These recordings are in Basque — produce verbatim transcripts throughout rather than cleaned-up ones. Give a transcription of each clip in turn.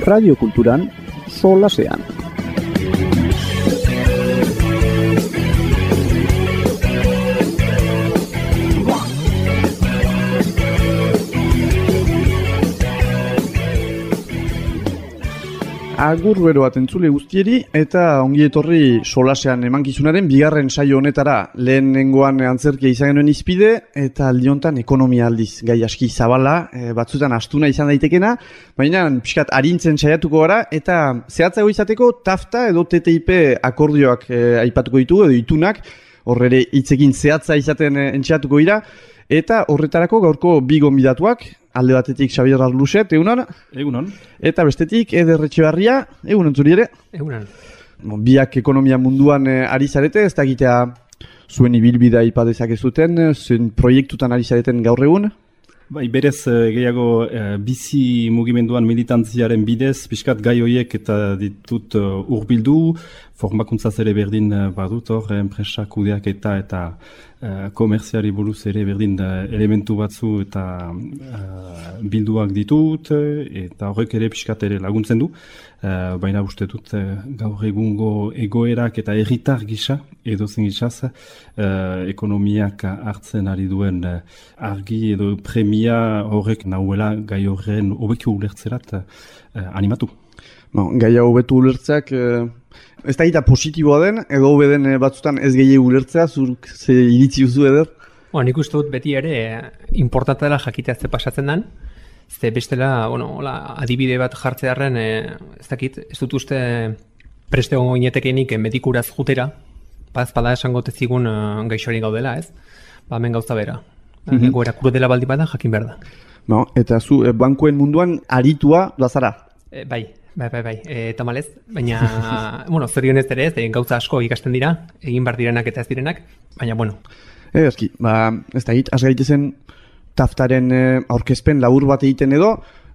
Radio Kulturan solasean. Agur bero bat entzule guztieri eta ongi etorri solasean emankizunaren bigarren saio honetara. Lehenengoan antzerkia izan genuen izpide eta aldi honetan ekonomia aldiz. Gai aski zabala, e, batzutan astuna izan daitekena, baina pixkat arintzen saiatuko gara eta zehatzago izateko TAFTA edo T T I P akordioak e, aipatuko ditugu edo itunak, horre hitzekin zehatza izaten e, entxeatuko dira. Eta horretarako gaurko bi gonbidatuak, alde batetik Xabier Arluxet, egunon? Egunon. Eta bestetik Eder Etxebarria, egunon zuri ere? Egunon. Biak ekonomia munduan eh, ari zarete, ez dakitea zuen ibilbidea ipadezak ez duten, zuen proiektutan ari zareten gaur egun? Bai, berez gehiago eh, bizi mugimenduan militantziaren bidez, pixkat gai horiek eta ditut uh, urbildu, formakuntzaz ere berdin uh, badut hor, enpresa kudeak eta eta uh, komerziari buruz ere berdin uh, elementu batzu eta uh, bilduak ditut, eta horrek ere pixkat ere laguntzen du. Uh, baina uste dut uh, gaur egungo egoerak eta herritar gisa, edo zen gisaz, uh, ekonomiak hartzen ari duen uh, argi edo premia horrek nahuela gai horren hobeki ulertzerat uh, animatu. No, gai hau hobetu ulertzeak, uh, ez da gita positiboa den, edo hobe den batzutan ez gehi ulertzea, zurk ze iritzi duzu eder? Bo, nik uste dut beti ere importanta dela jakitea ze pasatzen den. Ze bestela, bueno, hola, adibide bat jartzearen, e, ez dakit, ez dut uste preste gongo inetekenik medikuraz jutera, paz bada esango tezigun uh, gaixoari gaudela, ez? Ba, hemen gauza bera. Mm-hmm. Egoera krudela baldi bada, jakin behar da. No, eta zu, e, bankuen munduan aritua dazara? E, bai, bai, bai, bai, e, tamalez, baina, bueno, zorionez ere ez, e, gauza asko ikasten dira, egin behar direnak eta ez direnak, baina, bueno. E, eski, ba, ez dakit, az gaitezen, TAFTaren eh, aurkezpen labur bat egiten edo,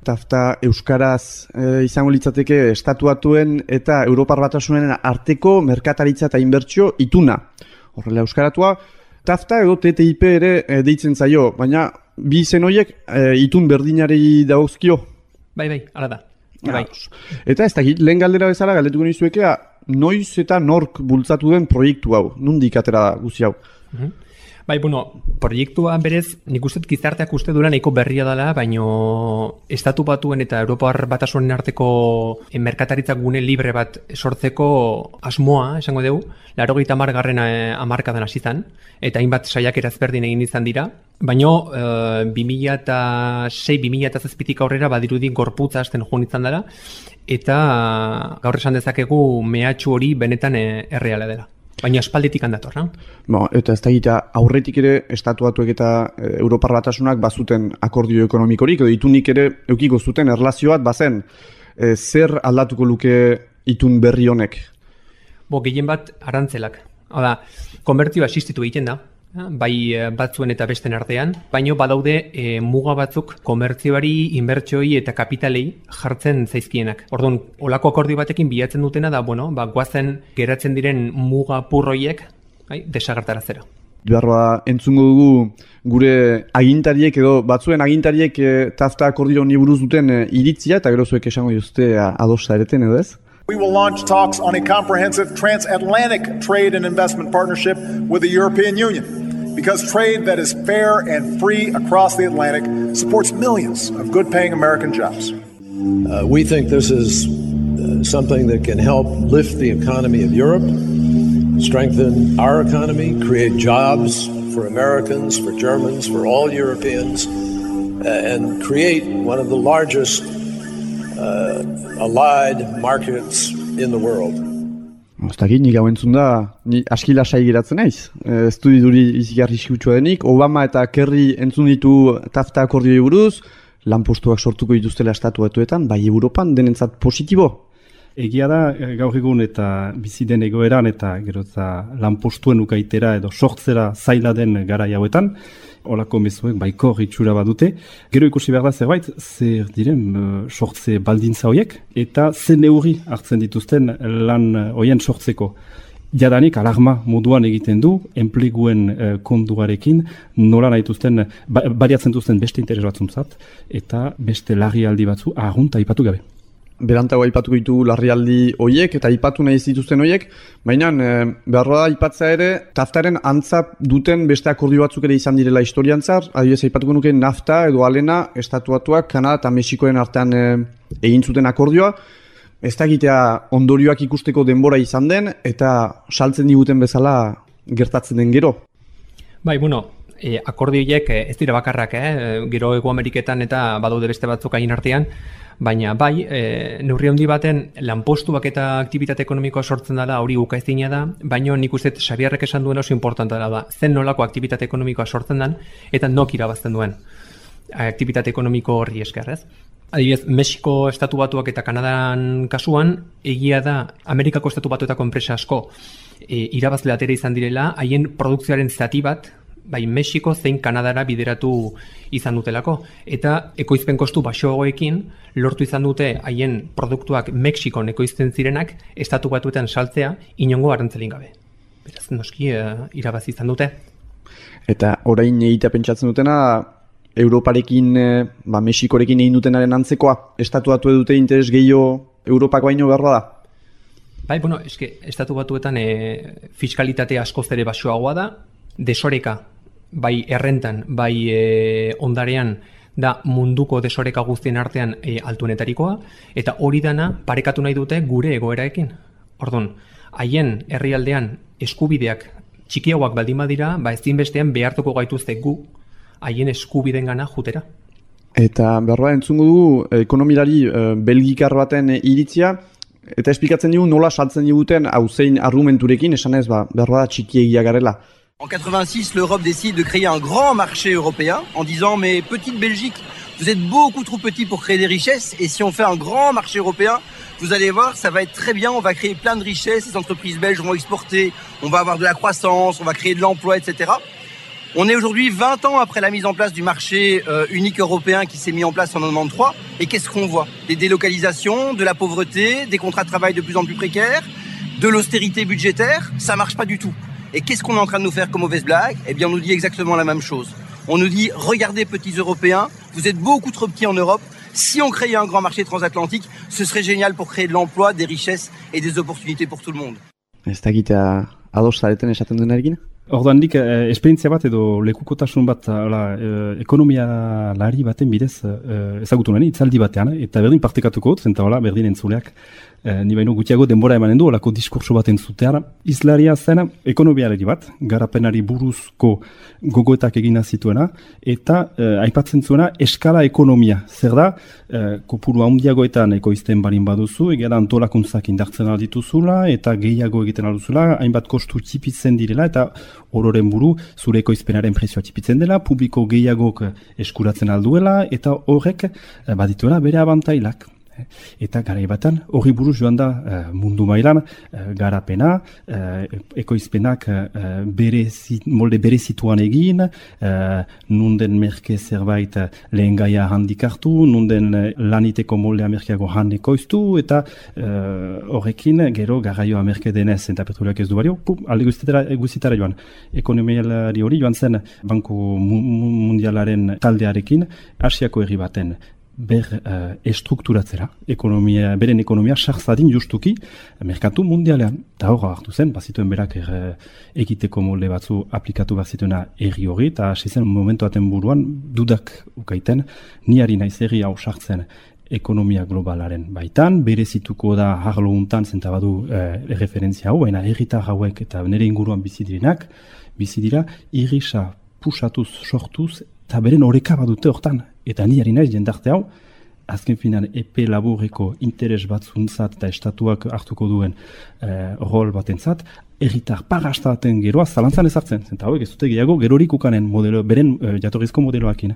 TAFTA euskaraz eh, izango litzateke estatuatuen eta Europar Batasunen arteko merkataritza eta inbertsio ituna. Horrela euskaratua, TAFTA edo T T I P ere eh, deitzen zaio, baina bi izen horiek eh, itun berdinari dagozkio. Bai, bai, hala da. Bai. Eta ez dakit, lehen galdera bezala galdetuko nizuekea, noiz eta nork bultzatu den proiektu hau, nondik atera da guzi hau? Mhm. Bai, bueno, proiektua berez, nik uste gizarteak uste dura nahiko berria dela, baino estatu batuen eta Europar Batasunen arteko merkataritza gune libre bat sortzeko asmoa, esango dugu, laurogeita hamargarren hamarkadan hasi zen, eta hainbat saiakera ezberdin egin izan dira, baino e, bi mila sei bi mila zazpitik aurrera badirudi gorputza hasten joan izan dela, eta gaur esan dezakegu mehatxu hori benetan e, erreala dela. Baina espalditik handator, no? Bo, eta ez da gita, aurretik ere estatuatuek eta e, Europar Batasunak bazuten akordio ekonomikorik, edo itunik ere eukiko zuten erlazio bat bazen. E, zer aldatuko luke itun berri honek? Bo, gehien bat arantzelak. Hala, konbertioa existitu egiten da, bai batzuen eta besten artean, baino badaude e, muga batzuk komertzioari, inbertsioi eta kapitalei jartzen zaizkienak. Orduan, olako akordio batekin bilatzen dutena da, bueno, ba, guazen geratzen diren muga purroiek, bai, desagertarazera. Beharra entzungo dugu gure agintariek edo batzuen agintariek e, TAFTA akordio honi buruz duten e, iritzia, eta gero zuek esango jozte adosta ereten edo ez? We will launch talks on a comprehensive transatlantic trade and investment partnership with the European Union, because trade that is fair and free across the Atlantic supports millions of good-paying American jobs. Uh, we think this is uh, something that can help lift the economy of Europe, strengthen our economy, create jobs for Americans, for Germans, for all Europeans, uh, and create one of the largest uh, allied markets in the world. Ez dakit, nik hau entzun da, ni aski lasai geratzen naiz. Ez du duri izigarri eskutsua denik, Obama eta Kerry entzun ditu TAFTA akordioi buruz, lanpostuak sortuko dituztela estatu batuetan, bai Europan denentzat positibo. Egia da, gaur egun eta bizi den egoeran eta gero eta lanpostuen ukaitera edo sortzera zaila den garai hauetan, olako mezuek baiko itxura badute. Gero ikusi behar da zerbait, zer diren uh, sortze baldintza horiek, eta ze neurri hartzen dituzten lan horien sortzeko. Jadanik alarma moduan egiten du, enpleguen uh, konduarekin, nola nahi duzten, ba, bariatzen duzten beste interes batzuntzat, eta beste larrialdi batzu ahunta ipatu gabe. berantago aipatuko ditu larrialdi hoiek eta aipatu nahi ez dituzten hoiek, baina e, beharroa da aipatzea ere, taftaren antza duten beste akordio batzuk ere izan direla historian zar, adibidez aipatuko nuke nafta edo alena, estatuatuak, Kanada eta Mexikoen artean e, egin zuten akordioa, ez da egitea ondorioak ikusteko denbora izan den, eta saltzen diguten bezala gertatzen den gero. Bai, bueno, e, akordioiek ez dira bakarrak, eh? Gero Hego Ameriketan eta badaude beste batzuk hain artean, baina bai, e, neurri handi baten lanpostuak eta aktibitate ekonomikoa sortzen dela, hori ukaezina da, baina nik uste Xabierrek esan duena oso importantea da, zen nolako aktibitate ekonomikoa sortzen den, eta nok irabazten duen aktibitate ekonomiko horri esker, ez? Adibidez, Mexiko estatu batuak eta Kanadan kasuan, egia da Amerikako estatu batuetako enpresa asko e, irabazle atera izan direla, haien produkzioaren zati bat, bai Mexiko zein Kanadara bideratu izan dutelako. Eta ekoizpen kostu baxuagoekin lortu izan dute haien produktuak Mexikon ekoizten zirenak estatu batuetan saltzea inongo arantzelin gabe. Beraz, noski e, irabazi izan dute. Eta orain egitea pentsatzen dutena, Europarekin, e, ba, Mexikorekin egin dutenaren antzekoa, estatu batu dute interes gehiago Europako baino beharra da? Bai, bueno, eske, estatu batuetan e, fiskalitate askoz ere baxuagoa da, desoreka, bai errentan, bai e, ondarean, da munduko desoreka guztien artean e, altuenetarikoa, eta hori dana parekatu nahi dute gure egoeraekin. Ordon, haien herrialdean eskubideak txikiagoak baldin badira, ba ezinbestean behartuko gaituzte gu haien eskubiden gana jutera. Eta berroa entzungo du ekonomilari e, belgikar baten iritzia, eta esplikatzen digu nola saltzen diguten hauzein argumenturekin, esan ez, ba, berroa da txikiegia garela. En quatre-vingt-six, l'Europe décide de créer un grand marché européen en disant « Mais petite Belgique, vous êtes beaucoup trop petit pour créer des richesses et si on fait un grand marché européen, vous allez voir, ça va être très bien, on va créer plein de richesses, les entreprises belges vont exporter, on va avoir de la croissance, on va créer de l'emploi, et cetera » On est aujourd'hui vingt ans après la mise en place du marché euh, unique européen qui s'est mis en place en quatre-vingt-treize. Et qu'est-ce qu'on voit? Des délocalisations, de la pauvreté, des contrats de travail de plus en plus précaires, de l'austérité budgétaire. Ça marche pas du tout. Et qu'est-ce qu'on est en train de nous faire comme mauvaise blague? Eh bien, on nous dit exactement la même chose. On nous dit, regardez petits Européens, vous êtes beaucoup trop petits en Europe. Si on créait un grand marché transatlantique, ce serait génial pour créer de l'emploi, des richesses et des opportunités pour tout le monde. Ez dakita ados zareten esaten duenarekin? Orduan dik, eh, esperientzia bat edo lekukotasun bat ala, eh, ekonomia lari baten bidez eh, ezagutu nani, itzaldi batean, eta berdin partekatuko dut, zenta hola, berdin entzuleak, eh, ni baino gutiago denbora emanen du, olako diskurso bat entzutean, izlaria zen ekonomialari bat, garapenari buruzko gogoetak egina zituena, eta eh, aipatzen zuena eskala ekonomia, zer da, eh, kopuru handiagoetan ekoizten barin baduzu, egera antolakuntzak indartzen aldituzula, eta gehiago egiten alduzula, hainbat kostu txipitzen direla, eta ororen buru zure ekoizpenaren prezioa txipitzen dela, publiko gehiagok eskuratzen alduela, eta horrek badituela bere abantailak. Eta garai batan hori buruz joan da mundu mailan garapena, ekoizpenak berezi, molde berezituan egin, nunden merke zerbait lehen gaia handik hartu, nunden laniteko moldea merkeago han ekoiztu, eta horrekin gero garraioa merke denez eta petroleak ez du bario, pum, alde guztitara joan. Ekonomialari hori joan zen Banku Mundialaren taldearekin Asiako herri baten ber uh, estrukturatzera, ekonomia, beren ekonomia sarzadin justuki merkatu mundialean. Eta hor hartu zen, bazituen berak er, egiteko molde batzu aplikatu bazituena erri hori, eta hasi zen momentu aten buruan dudak ukaiten, niari naiz herri hau sartzen ekonomia globalaren baitan, berezituko da harlo untan zentabadu eh, referentzia hau, baina herritar hauek eta nire inguruan bizi direnak, bizi dira irrisa pusatuz, sortuz, eta beren oreka badute hortan. Eta ni ari naiz jendarte hau, azken finan epe laburreko interes batzuntzat eta estatuak hartuko duen eh, rol batentzat, herritar parrastaten geroa zalantzan ezartzen. Zenta hauek ez dute gehiago gerorik ukanen modelo, beren eh, jatorrizko modeloakin.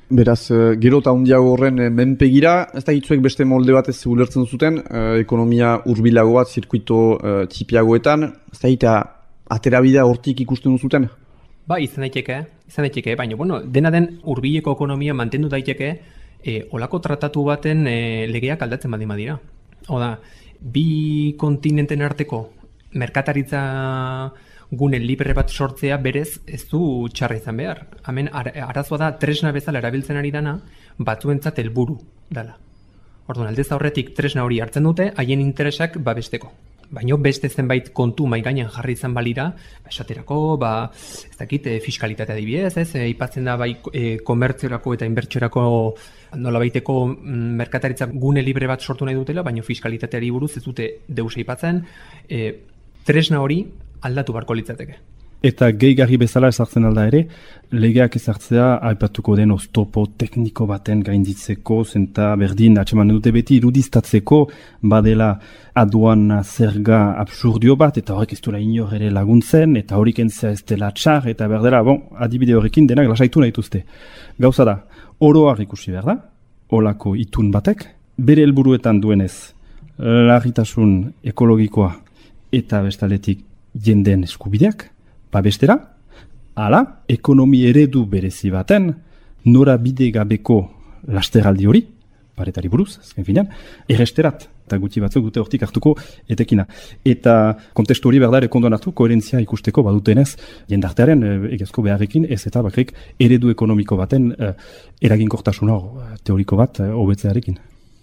Beraz, gero eta hundiago horren menpegira, ez da hitzuek beste molde bat ez ulertzen zuten, eh, ekonomia hurbilago bat, zirkuito eh, txipiagoetan, ez da hita aterabidea hortik ikusten duzuten? Ba, izan daiteke, izan daiteke, baina, bueno, dena den hurbileko ekonomia mantendu daiteke, e, olako tratatu baten e, legeak aldatzen badima dira. Oda, bi kontinenten arteko merkataritza gune libre bat sortzea berez ez du txarra izan behar. Hemen ar arazoa da tresna bezala erabiltzen ari dana batzuentzat helburu dela. Orduan, aldez aurretik tresna hori hartzen dute, haien interesak babesteko. Baina beste zenbait kontu mai gainean jarri izan balira, esaterako, ba, ez dakit, e, fiskalitatea adibidez, ez, e, ipatzen da bai e, komertziorako eta inbertsiorako nolabaiteko mm, merkataritzak gune libre bat sortu nahi dutela, baina fiskalitateari buruz ez dute deus aipatzen, e, tresna hori aldatu barko litzateke. Eta gehigarri bezala ezartzen alda ere, legeak ezartzea aipatuko den oztopo tekniko baten gainditzeko, zenta berdin atxeman dute beti irudiztatzeko badela aduan zerga absurdio bat, eta horrek ez duela inor ere laguntzen, eta horik entzea ez dela txar, eta berdela, bon, adibide horrekin denak lasaitu nahi dituzte. Gauza da, oroak ikusi behar da, olako itun batek, bere helburuetan duenez, larritasun ekologikoa eta bestaletik jenden eskubideak, babestera, ala, ekonomi eredu berezi baten, nora bide gabeko lasteraldi hori, paretari buruz, azken finean, erresterat, eta gutxi batzuk dute hortik hartuko etekina. Eta kontestu hori berdare kondon hartu, koherentzia ikusteko badutenez, jendartearen egezko beharrekin, ez eta bakrik eredu ekonomiko baten eh, eraginkortasun hor, teoriko bat, hobetzearekin.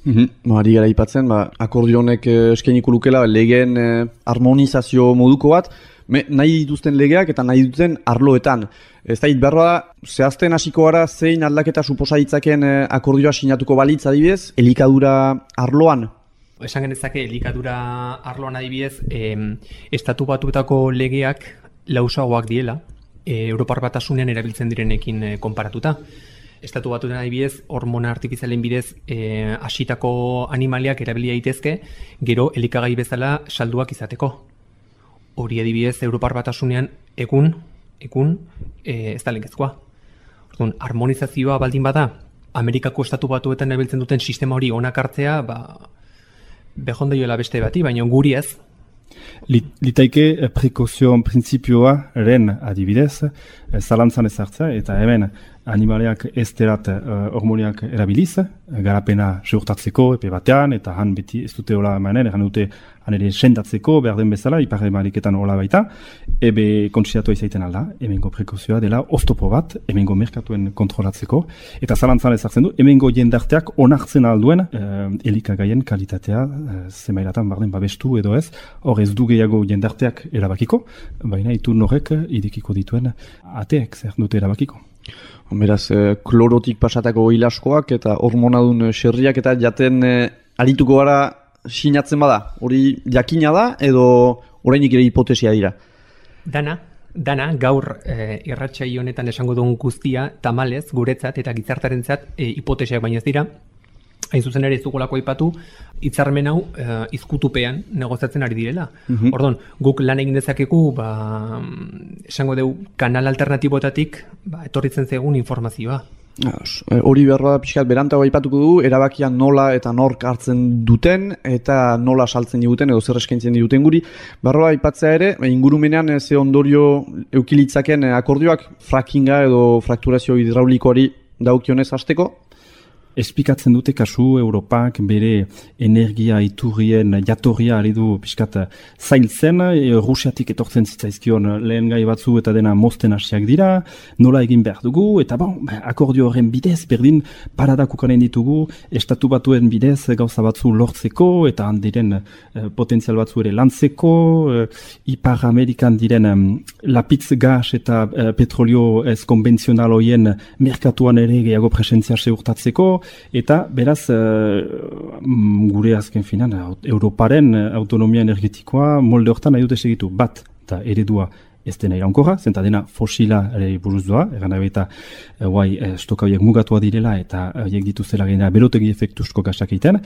Mm-hmm. Ari gara ipatzen, ba, akordio honek eh, eskainiko lukela legeen eh, harmonizazio moduko bat, Me, nahi dituzten legeak eta nahi duten arloetan. Ez da, behar da, zehazten hasiko gara zein aldaketa suposa ditzaken eh, akordioa sinatuko balitz adibidez, elikadura arloan? Esan genezake elikadura arloan adibidez, eh, estatu batuetako legeak lausagoak diela, eh, Europar Batasunean erabiltzen direnekin eh, konparatuta. Estatu batuetan adibidez, hormona artifizialen bidez eh, hasitako animaliak erabilia daitezke, gero elikagai bezala salduak izateko. Hori adibidez, Europar Batasunean egun, egun, e, ez da linkezkoa. Orduan, harmonizazioa baldin bada, Amerikako estatu batuetan erabiltzen duten sistema hori onak hartzea, ba, behondeioela beste bati, baina guri ez. Litaike prekozion printzipioaren adibidez, zalantzan ezartza, eta hemen animaleak ez derat hormoniak erabiliz, garapena seurtatzeko epe batean, eta han beti ez dute hola emanen, egan dute han ere sendatzeko, behar den bezala, ipar emaliketan hola baita, ebe kontsiatua izaiten alda, hemengo prekozioa dela oztopo bat, hemengo merkatuen kontrolatzeko, eta zalantzan ezartzen du, hemengo jendarteak onartzen alduen eh, elikagaien kalitatea eh, zemailatan barden babestu edo ez, hor ez du gehiago jendarteak erabakiko, baina itun horrek idekiko dituen ateek zer dute erabakiko. Beraz, eh, klorotik pasatako hilaskoak eta hormonadun xerriak eta jaten eh, arituko gara sinatzen bada. Hori jakina da edo orainik ere hipotesia dira? Dana, dana gaur eh, irratsai honetan esango dugun guztia tamalez guretzat eta gizartarentzat eh, hipotesiak baino ez dira. Hain zuzen ere ez dugulako aipatu, hitzarmen hau uh, izkutupean negoziatzen ari direla. Mm-hmm. Orduan, guk lan egin dezakegu, ba, esango dugu, kanal alternatiboetatik ba, etorritzen zegun informazioa. Hori behar da pixkat berantago aipatuko du, erabakia nola eta nork hartzen duten eta nola saltzen diguten edo zer eskaintzen diguten guri. Barroa aipatzea ere, ingurumenean ze ondorio eukilitzaken akordioak frackinga edo frakturazio hidraulikoari daukionez hasteko? Espikatzen dute kasu Europak bere energia iturrien jatorria ari du pixkat zailtzen, e, Rusiatik etortzen zitzaizkion lehen gai batzu eta dena mozten hasiak dira, nola egin behar dugu, eta bon, akordio horren bidez, berdin paradak ukanen ditugu, estatu batuen bidez gauza batzu lortzeko, eta handiren e, potentzial batzu ere lantzeko, e, Ipar Amerikan diren e, lapitz gas eta e, petrolio ez konbentzional hoien merkatuan ere gehiago presentzia seurtatzeko, eta beraz gure azken finan Europaren autonomia energetikoa molde hortan nahi dute segitu bat eta eredua ez dena iraunkorra, zenta dena fosila ere buruz doa, egan dabe eta guai stoka horiek mugatua direla eta horiek dituzela gaina berotegi efektusko gasak egiten,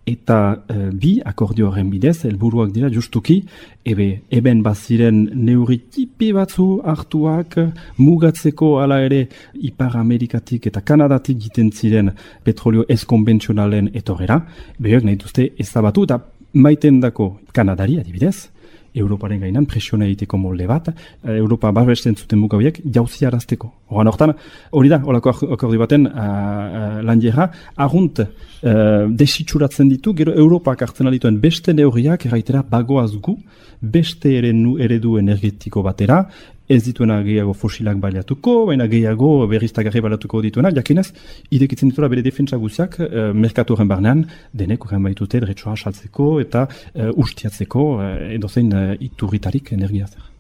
eta e, bi akordio horren bidez, helburuak dira justuki, ebe eben baziren neurri tipi batzu hartuak mugatzeko ala ere Ipar Amerikatik eta Kanadatik giten ziren petrolio ez konbentzionalen etorrera, behiak nahi duzte ezabatu eta maiten dako Kanadari adibidez, Europaren gainan presiona egiteko molde bat, Europa babesten zuten muga horiek jauzi arazteko. Horan hortan, hori da, holako akordio baten uh, uh, landiera, argunt uh, desitxuratzen ditu, gero Europak hartzen dituen beste neurriak erraitera bagoaz gu, beste eredu, eredu energetiko batera, ez dituena gehiago fosilak baliatuko, baina gehiago berriztagarri baliatuko dituena, jakinez, idekitzen dituela bere defentsa guziak, uh, merkatuaren barnean, denek horren baitute dretsua saltzeko eta uh, ustiatzeko uh, edozein uh, iturritarik energiazer.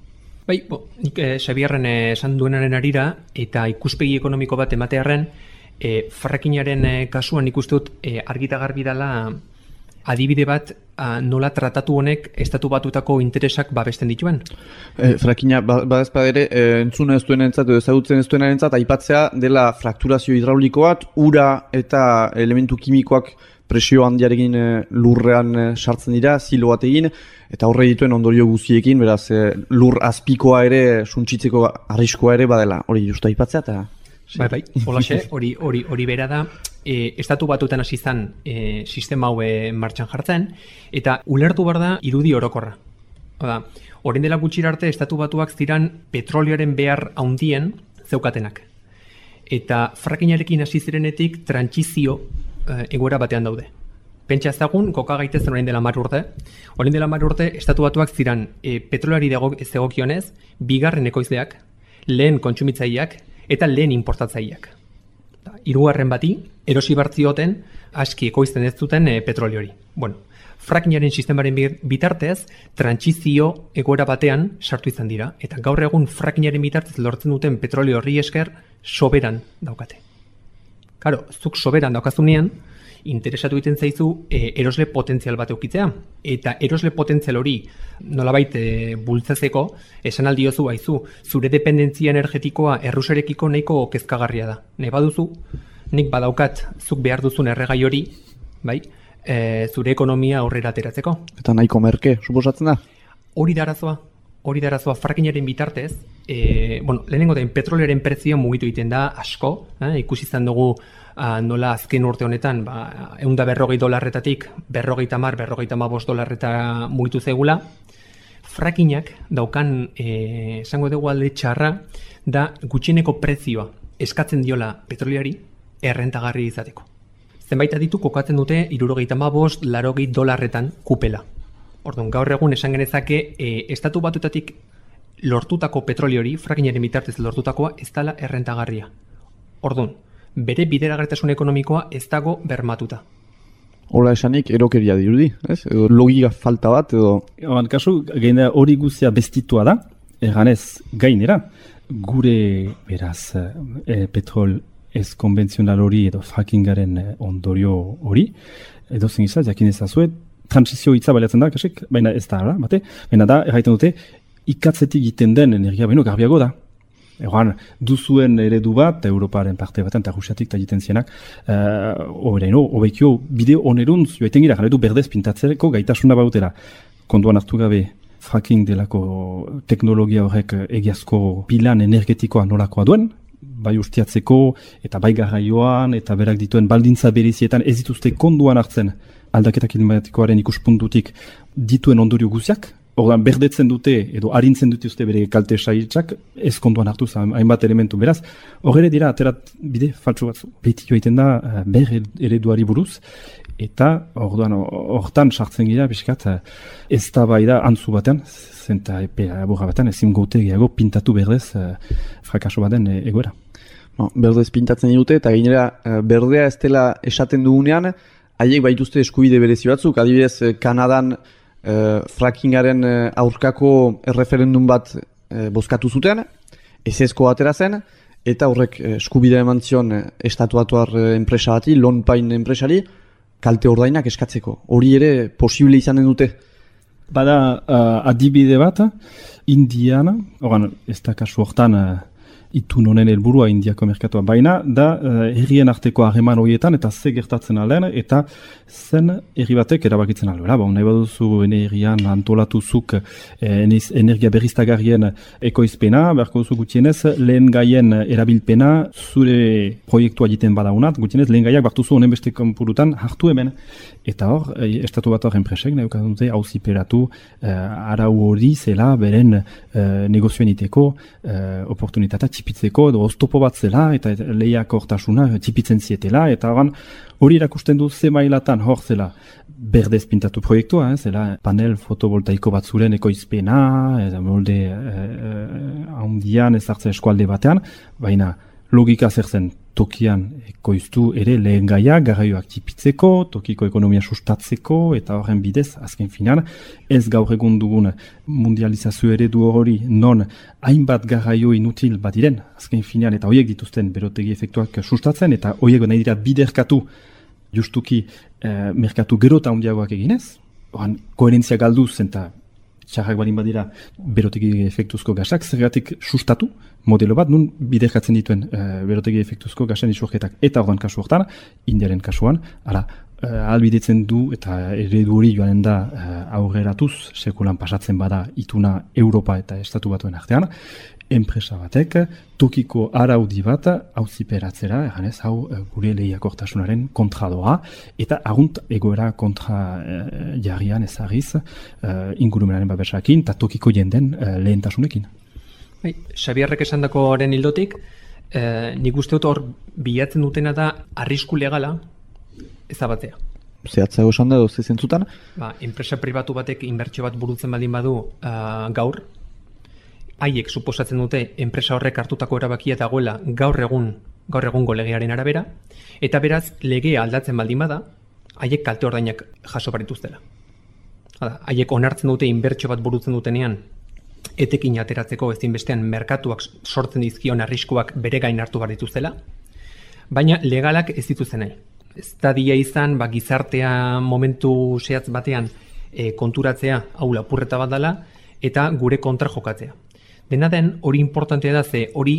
Bai, bo, nik eh, Xabierren esan duenaren arira, eta ikuspegi ekonomiko bat ematearen, eh, fracking-aren eh, kasuan ikuste dut eh, argita garbi dela adibide bat ah, nola tratatu honek estatu batutako interesak babesten dituen. E, frackinga, badezpa ere, e, entzuna ez duen entzat, edo ezagutzen ez duen entzat, aipatzea dela frakturazio hidrauliko bat, ura eta elementu kimikoak presio handiarekin e, lurrean e, sartzen dira, zilo bat egin, eta horre dituen ondorio guztiekin, beraz, e, lur azpikoa ere, suntsitzeko arriskoa ere badela, hori justu aipatzea, eta... Bai, bai, holaxe, hori, hori, hori bera da, e, estatu batutan hasi zan e, sistema hau e, martxan jartzen, eta ulertu behar da irudi orokorra. Oda, orain dela gutxira arte, estatu batuak ziran petrolioaren behar haundien zeukatenak. Eta frackingarekin hasi zirenetik trantsizio e, egoera batean daude. Pentsa ezagun, koka gaitezen orain dela mar urte. Orain dela mar urte, estatu batuak ziran e, petrolari zegokionez, bigarren ekoizleak, lehen kontsumitzaileak, eta lehen importatzaileak. Hirugarren bati, erosi bartzioten, aski ekoizten ez duten e, petroliori. Bueno, frackingaren sistemaren bitartez, trantsizio egoera batean sartu izan dira, eta gaur egun frackingaren bitartez lortzen duten petrolio horri esker soberan daukate. Karo, zuk soberan daukazunean, interesatu egiten zaizu e, erosle potentzial bat eukitzea. Eta erosle potentzial hori nolabait e, bultzatzeko, esan aldiozu haizu, zure dependentzia energetikoa erruserekiko nahiko kezkagarria da. Nahi baduzu, nik badaukat zuk behar duzun erregai hori, bai, e, zure ekonomia aurrera ateratzeko. Eta nahiko merke, suposatzen da? Hori da arazoa, hori da arazoa frackingaren bitartez, e, bueno, lehenengo den petrolioaren prezioa mugitu egiten da asko, eh, ikusi izan dugu Uh, nola azken urte honetan ba, eunda berrogei dolarretatik berrogeita mar, berrogeita bost dolarreta mugitu zegula. Frackingak daukan eh, esango dugu alde txarra da gutxieneko prezioa eskatzen diola petroliari errentagarri izateko. Zenbait aditu kokatzen dute hirurogeita bost, laurogei dolarretan kupela. Orduan, gaur egun esan genezake e, estatu batutatik lortutako petroliori, frackingaren bitartez lortutakoa ez dela errentagarria. Orduan, bere bideragarritasun ekonomikoa ez dago bermatuta. Hola esanik erokeria dirudi, ez? Edo logika falta bat, edo... Oan, kasu, gainera hori guztia bestitua da, erganez gainera, gure, beraz, e, petrol ez konbentzional hori edo frackingaren ondorio hori, edo zen izaz, jakin ezazue, transizio hitza baliatzen da, kasik, baina ez da, bate? Baina da, erraiten dute, ikatzetik egiten den energia baino garbiago da. Egoan, duzuen eredu bat, Europaren parte batean, eta Rusiatik eta egiten zienak, horreino, uh, obekio, bide oneruntz, joaiten gira, jaretu berdez pintatzeko gaitasuna bautera. Konduan hartu gabe, fracking delako teknologia horrek egiazko pilan energetikoa nolakoa duen, bai ustiatzeko, eta bai garraioan, eta berak dituen baldintza berizietan ez dituzte konduan hartzen aldaketa klimatikoaren ikuspuntutik dituen ondorio guziak, ordan berdetzen dute edo arintzen dute uste bere kalte saitzak ez kontuan hartu hainbat elementu. Beraz, horre dira aterat bide faltsu batzu. Beti joaiten da ber ereduari buruz eta orduan hortan sartzen gira bizkat ez da bai da antzu batean, zenta epe aburra batean ezin gote gehiago pintatu berdez frakaso baten egoera. No, berdez pintatzen dute eta gainera berdea ez dela esaten dugunean, haiek baituzte eskubide berezi batzuk, adibidez Kanadan Uh, frackingaren uh, aurkako erreferendum bat uh, bozkatu zuten, ezezko atera zen, eta horrek uh, eskubidea eman zion uh, estatuatuar uh, enpresa bati, Lonpain enpresari, kalte ordainak eskatzeko. Hori ere posible izanen dute? Bada uh, adibide bat, Indiana, oran, ez da kasu hortan uh, itun honen helburua Indiako merkatua, baina da uh, herrien arteko harreman horietan eta ze gertatzen alden eta zen herri batek erabakitzen alduela. Ba, nahi baduzu ene herrian antolatuzuk eh, energia berriztagarrien ekoizpena, beharko duzu gutienez lehen gaien erabilpena zure proiektua egiten badaunat, gutienez lehen gaiak bartuzu honen beste konpurutan hartu hemen. Eta hor, estatu bat hor enpresek, nahi dute auziperatu uh, arau hori zela beren uh, negozioen iteko uh, oportunitatea txipitzeko, edo oztopo bat zela, eta lehiak hortasuna txipitzen zietela, eta horan, hori erakusten du ze mailatan hor zela berdez pintatu proiektua, eh, zela panel fotovoltaiko bat zuren ekoizpena, eta molde handian uh, uh, ezartzen eskualde batean, baina logika zer zen tokian ekoiztu ere lehen gaia, garraioak tipitzeko, tokiko ekonomia sustatzeko, eta horren bidez, azken finan, ez gaur egun dugun mundializazio eredu hori non hainbat garraio inutil bat diren, azken finan, eta horiek dituzten berotegi efektuak sustatzen, eta horiek nahi dira biderkatu justuki eh, merkatu gero eta handiagoak eginez, horren koherentzia galduz, eta txarrak balin badira berotegi efektuzko gasak, zergatik sustatu, modelo bat, nun biderkatzen dituen uh, berotegi efektuzko gasen isurketak. Eta ordan kasu hortan, Indiaren kasuan, ala, uh, albidetzen du eta eredu hori joanen da uh, aurreratuz, sekulan pasatzen bada ituna Europa eta Estatu Batuen artean, enpresa batek, tokiko araudi bat auziperatzera, eganez, hau uh, gure lehiakortasunaren kontra doa, eta agunt egoera kontra uh, jarrian ezagiz uh, ingurumenaren babesakin, eta tokiko jenden uh, lehentasunekin. Bai, Xabierrek esandakoaren hildotik, eh, nik uste dut hor bilatzen dutena da arrisku legala ezabatzea. Zehatzago esan da, doze zentzutan? Ba, enpresa pribatu batek inbertsio bat burutzen baldin badu uh, gaur, haiek suposatzen dute enpresa horrek hartutako erabakia dagoela gaur egun gaur egungo legearen arabera, eta beraz legea aldatzen baldin bada, haiek kalte ordainak jaso barituztela. Hala, haiek onartzen dute inbertsio bat burutzen dutenean, etekin ateratzeko ezinbestean merkatuak sortzen dizkion arriskuak bere gain hartu behar dituztela, baina legalak ez dituzten nahi. Ez da dia izan, ba, gizartea momentu zehatz batean e, konturatzea, hau lapurreta bat dela, eta gure kontra jokatzea. Dena den, hori importantea da, ze hori,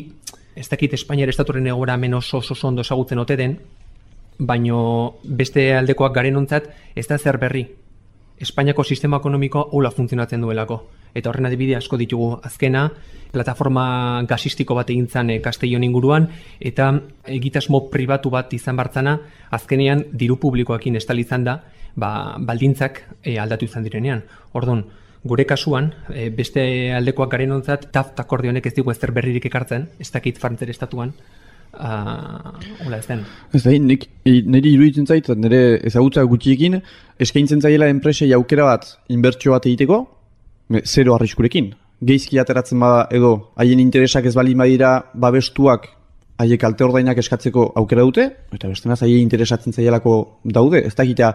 ez dakit Espainiar estatuaren egoera hemen oso oso ondo ezagutzen ote den, baino beste aldekoak garenontzat ez da zer berri. Espainiako sistema ekonomikoa hola funtzionatzen duelako. Eta horren adibide asko ditugu, azkena, plataforma gasistiko bat egin zen e, Castellon inguruan, eta egitasmo pribatu bat izan bartzana, azkenean diru publikoakin estali izan da, ba, baldintzak e, aldatu izan direnean. Orduan, gure kasuan, e, beste aldekoak garenontzat, T A F T akordionek ez digu ezer berririk ekartzen, ez dakit Frantziar estatuan, uh, hola ez den. Ez da, nik, niri iruditzen zait, nire ezagutza gutxiekin, eskaintzen zaiela enpresei aukera bat, inbertsio bat egiteko, zero arriskurekin. Geizki ateratzen bada edo haien interesak ez baldin badira babestuak haiek kalte ordainak eskatzeko aukera dute, eta bestenaz haien interesatzen zaielako daude. Ez dakitea,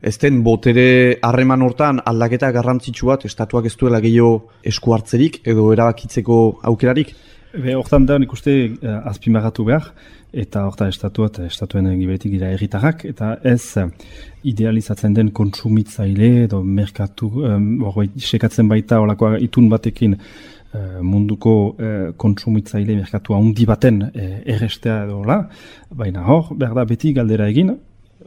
ez den botere harreman hortan aldaketa garrantzitsu bat estatuak ez duela gehiago esku hartzerik edo erabakitzeko aukerarik. Be, hortan da, nik uste uh, azpimagatu behar, eta hortan estatua eta estatuen giberetik dira erritarrak, eta ez uh, idealizatzen den kontsumitzaile edo merkatu, um, sekatzen baita olakoa itun batekin uh, munduko uh, kontsumitzaile merkatua handi baten uh, errestea edo la, baina hor, behar da beti galdera egin,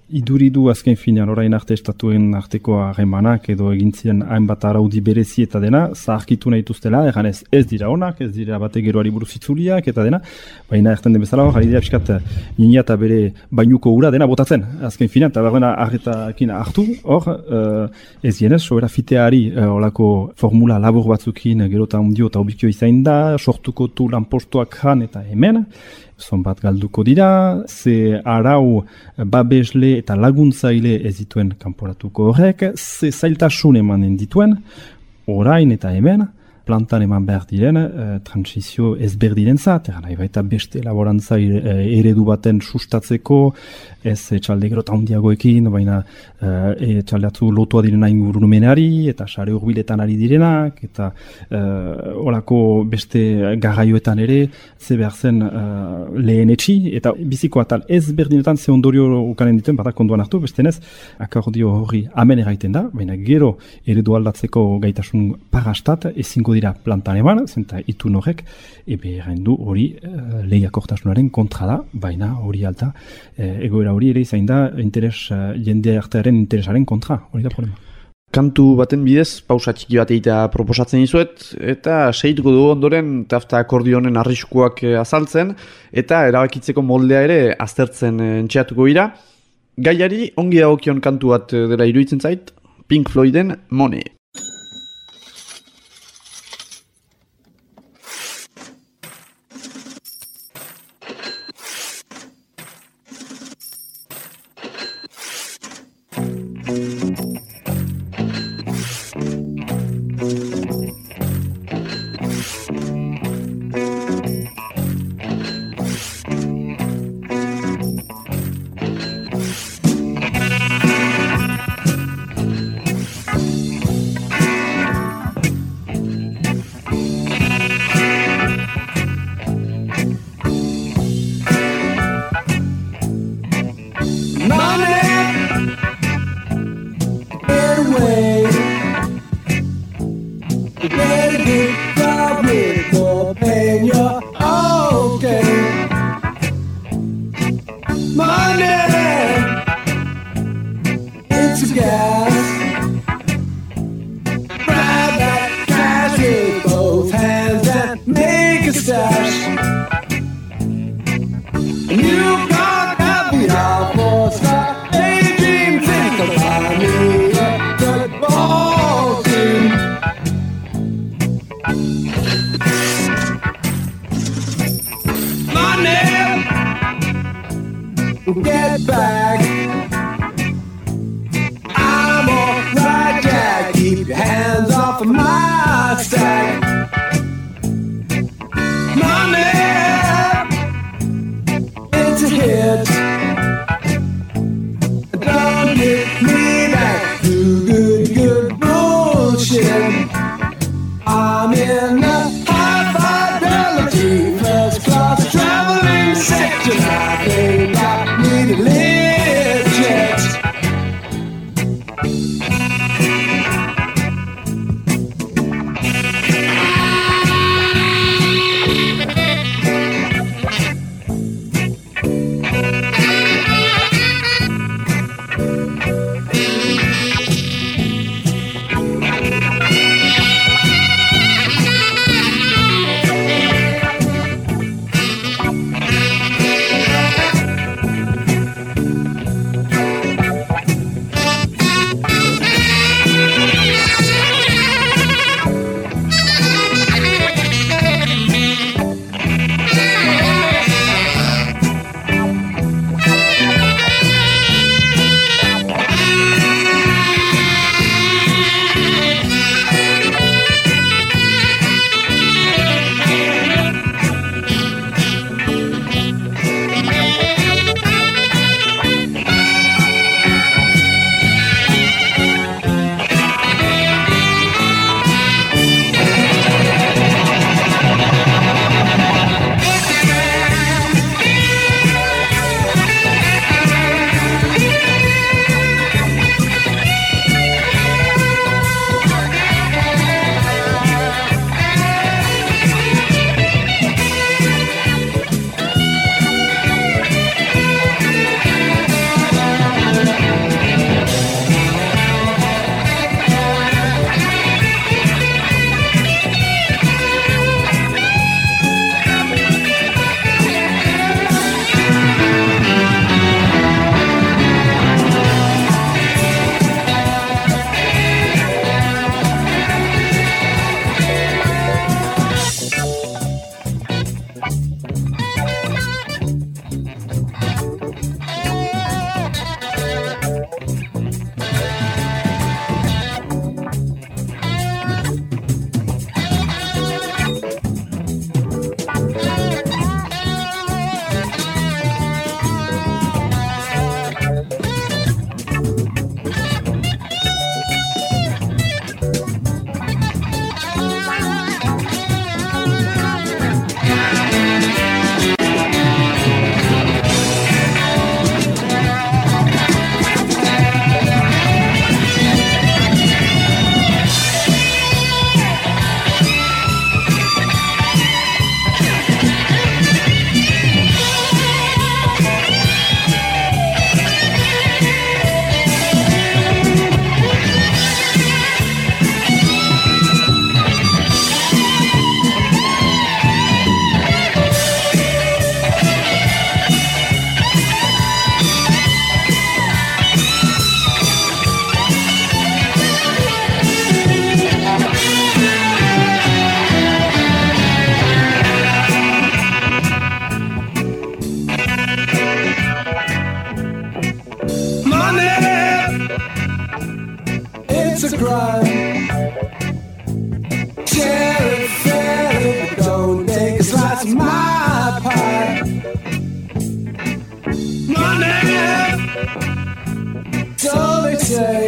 iduridu azken finean orain arte estatuen arteko harremanak edo egintzien hainbat araudi berezi eta dena, zaharkitu nahi dituztela, eganez ez dira onak, ez dira bate geroari buruz itzuliak eta dena, baina erten den bezala hor, ari dira piskat nina eta bere bainuko ura dena botatzen, azken finean, eta behar dena arretakin hartu, hor, uh, ez dienez, sobera fiteari uh, olako formula labur batzukin gero eta ondio eta obikio izain da, sortuko tu lanpostuak jan eta hemen, zonbat galduko dira, ze arau babesle eta laguntzaile ez dituen kanporatuko horrek, ze zailtasun emanen dituen, orain eta hemen, plantan eman behar diren, eh, transizio ezberdinen zat, nahi baita beste laborantza eredu baten sustatzeko, ez etxalde gero eta handiagoekin, baina eh, etxalde atzu lotua direna ingurumenari, eta sare urbiletan ari direnak, eta eh, olako beste garraioetan ere, ze behar zen eh, lehen etxi, eta biziko atal ezberdinetan ze ondorio ukanen dituen, batak ondoan hartu, bestenez, akordio hori amen eraiten da, baina gero eredu aldatzeko gaitasun pagastat, ezingo dira plantan eman, zenta itun horrek, ebe gaindu hori uh, lehiakortasunaren kontra da, baina hori alta, uh, egoera hori ere izain da, interes, uh, jende artearen interesaren kontra, hori da problema. Kantu baten bidez, pausa txiki bat egitea proposatzen dizuet, eta segituko dugu ondoren T A F T akordionen arriskuak azaltzen, eta erabakitzeko moldea ere aztertzen entxeatuko dira. Gaiari ongi dagokion kantu bat dela iruditzen zait, Pink Floyden Money. Get back. I'm alright, Jack. Keep your hands off of my stack. Money, it's a hit. Don't get me back to good, good bullshit. I'm in the high fidelity first class traveling section. I think I need a lift jet. a crime. Share it fairly, but don't take a slice of my pie. Money, so they say,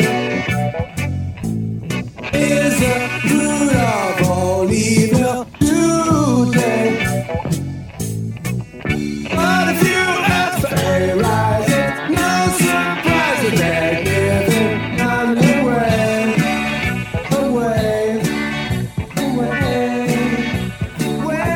is the root of all evil today. But if you ask for a rise, it's no surprise that they're giving none away, away, away, away,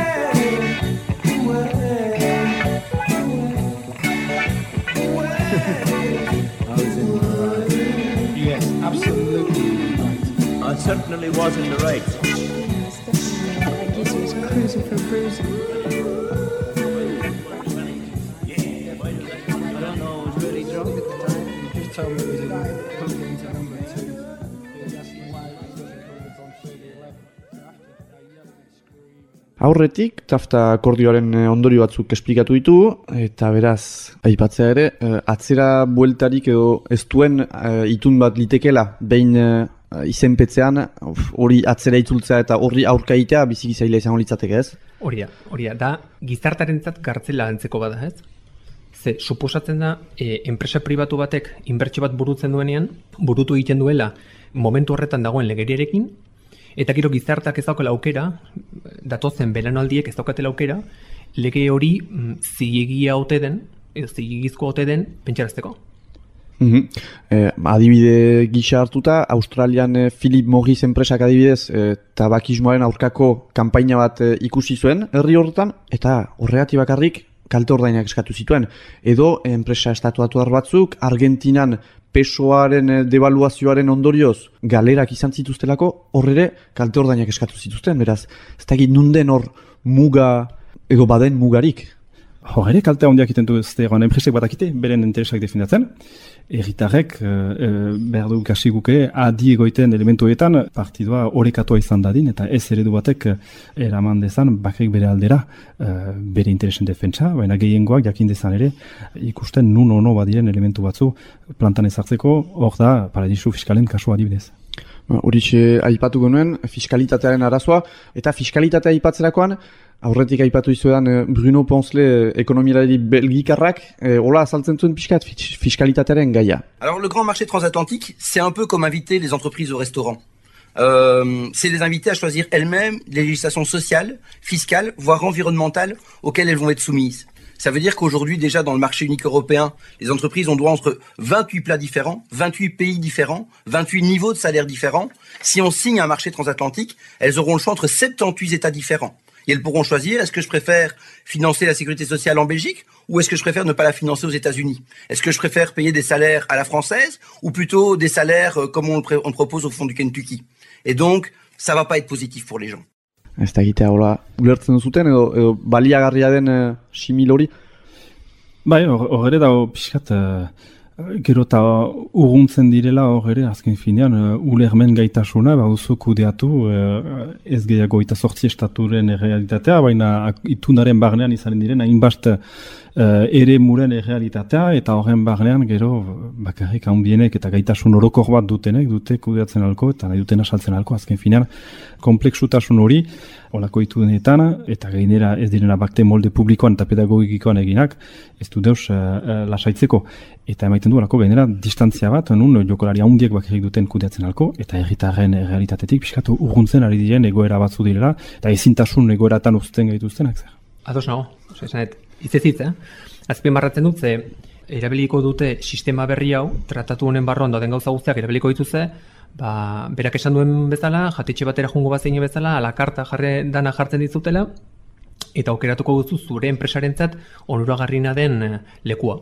Yes, absolutely right. I certainly was in the right. Yes, definitely. I guess it was cruising for bruising. I don't know, I was really drunk at the time. You just told me it was in cocaine to number two. He was asking why I was looking for it on thirty eleven. After I yelled and screamed. Aurretik, tafta akordioaren eh, ondorio batzuk esplikatu ditu, eta beraz, aipatzea ere, eh, atzera bueltarik edo ez duen eh, itun bat litekela, behin eh, izenpetzean, uf, hori atzera itzultzea eta horri aurkaitea biziki zaila izango litzateke, ez? Hori da, hori da, da gizartarentzat kartzela antzeko bada, ez? Ze, suposatzen da, e, enpresa pribatu batek inbertsio bat burutzen duenean, burutu egiten duela momentu horretan dagoen legeriarekin, eta gero gizartak ez daukela aukera, datozen belanaldiek ez daukatela aukera, lege hori mm, zilegia ote den, edo zilegizko ote den, pentsarazteko. Mhm. Eh, adibide gisa hartuta, Australian eh, Philip Morris enpresak adibidez eh, tabakismoaren aurkako kanpaina bat eh, ikusi zuen herri horretan, eta horregatik bakarrik kalte ordainak eskatu zituen. Edo enpresa estatuatuar batzuk Argentinan pesoaren eh, devaluazioaren ondorioz galerak izan zituztelako, hor ere kalte ordainak eskatu zituzten. Beraz, ez dakit nunden hor muga edo baden mugarik. Hor ere, kaltea hondiak iten du ez egon enpresek batakite, beren interesak defendatzen. Erritarrek, e, e, behar du kasi guke, adi egoiten elementuetan partidua orekatoa izan dadin, eta ez eredu batek eraman dezan, bakrik bere aldera, e, bere interesen defentsa, baina gehiengoak jakin dezan ere, ikusten nun ono badiren elementu batzu plantan ezartzeko, hor da, paradisu fiskalen kasua adibidez. Horixe aipatuko nuen, fiskalitatearen arazoa, eta fiskalitatea aipatzerakoan, aurretik aipatu izuedan Bruno Poncelet ekonomialari belgikarrak, eh, hola azaltzen zuen pixkat fiskalitatearen gaia. Alors le grand marché transatlantique, c'est un peu comme inviter les entreprises au restaurant. Euh, c'est les inviter à choisir elles-mêmes les législations sociales, fiscales, voire environnementales auxquelles elles vont être soumises. Ça veut dire qu'aujourd'hui, déjà dans le marché unique européen, les entreprises ont droit entre vingt-huit plats différents, vingt-huit pays différents, vingt-huit niveaux de salaire différents. Si on signe un marché transatlantique, elles auront le choix entre soixante-dix-huit États différents. Et elles pourront choisir, est-ce que je préfère financer la sécurité sociale en Belgique ou est-ce que je préfère ne pas la financer aux États-Unis? Est-ce que je préfère payer des salaires à la française ou plutôt des salaires comme on le on propose au fond du Kentucky? Et donc, ça va pas être positif pour les gens. Ez da egitea, hola, ulertzen zuten edo, edo baliagarria den uh, simil hori? Bai, hor ere dago pixkat, uh, gero eta urruntzen direla hor ere, azken finean, uh, ulermen gaitasuna, baduzu kudeatu, uh, ez gehiago eta sortzi estaturen errealitatea, baina itunaren barnean izanen diren, hainbast uh, ere muren errealitatea, eta horren barnean gero bakarrik handienek eta gaitasun orokor bat dutenek, dute kudeatzen alko, eta nahi dutena saltzen alko, azken finean, kompleksutasun hori, olako itunetan, eta gainera ez direna bakte molde publikoan eta pedagogikoan eginak, ez du deus uh, uh, lasaitzeko. Eta emaiten du olako gainera distantzia bat, nun jokolari handiek bakarrik duten kudeatzen alko, eta herritarren realitatetik pixkatu urruntzen ari diren egoera batzu direla, eta ezintasun egoeratan uzten gaituztenak zer. Ados nago, oza, esanet, itzezitz, eh? Azpimarratzen dut, ze erabiliko dute sistema berri hau, tratatu honen barruan dauden gauza guztiak erabiliko dituzte, ba, berak esan duen bezala, jatetxe batera jungo bat zein bezala, alakarta jarre dana jartzen dizutela, eta aukeratuko duzu zure enpresarentzat onuragarrina den lekua.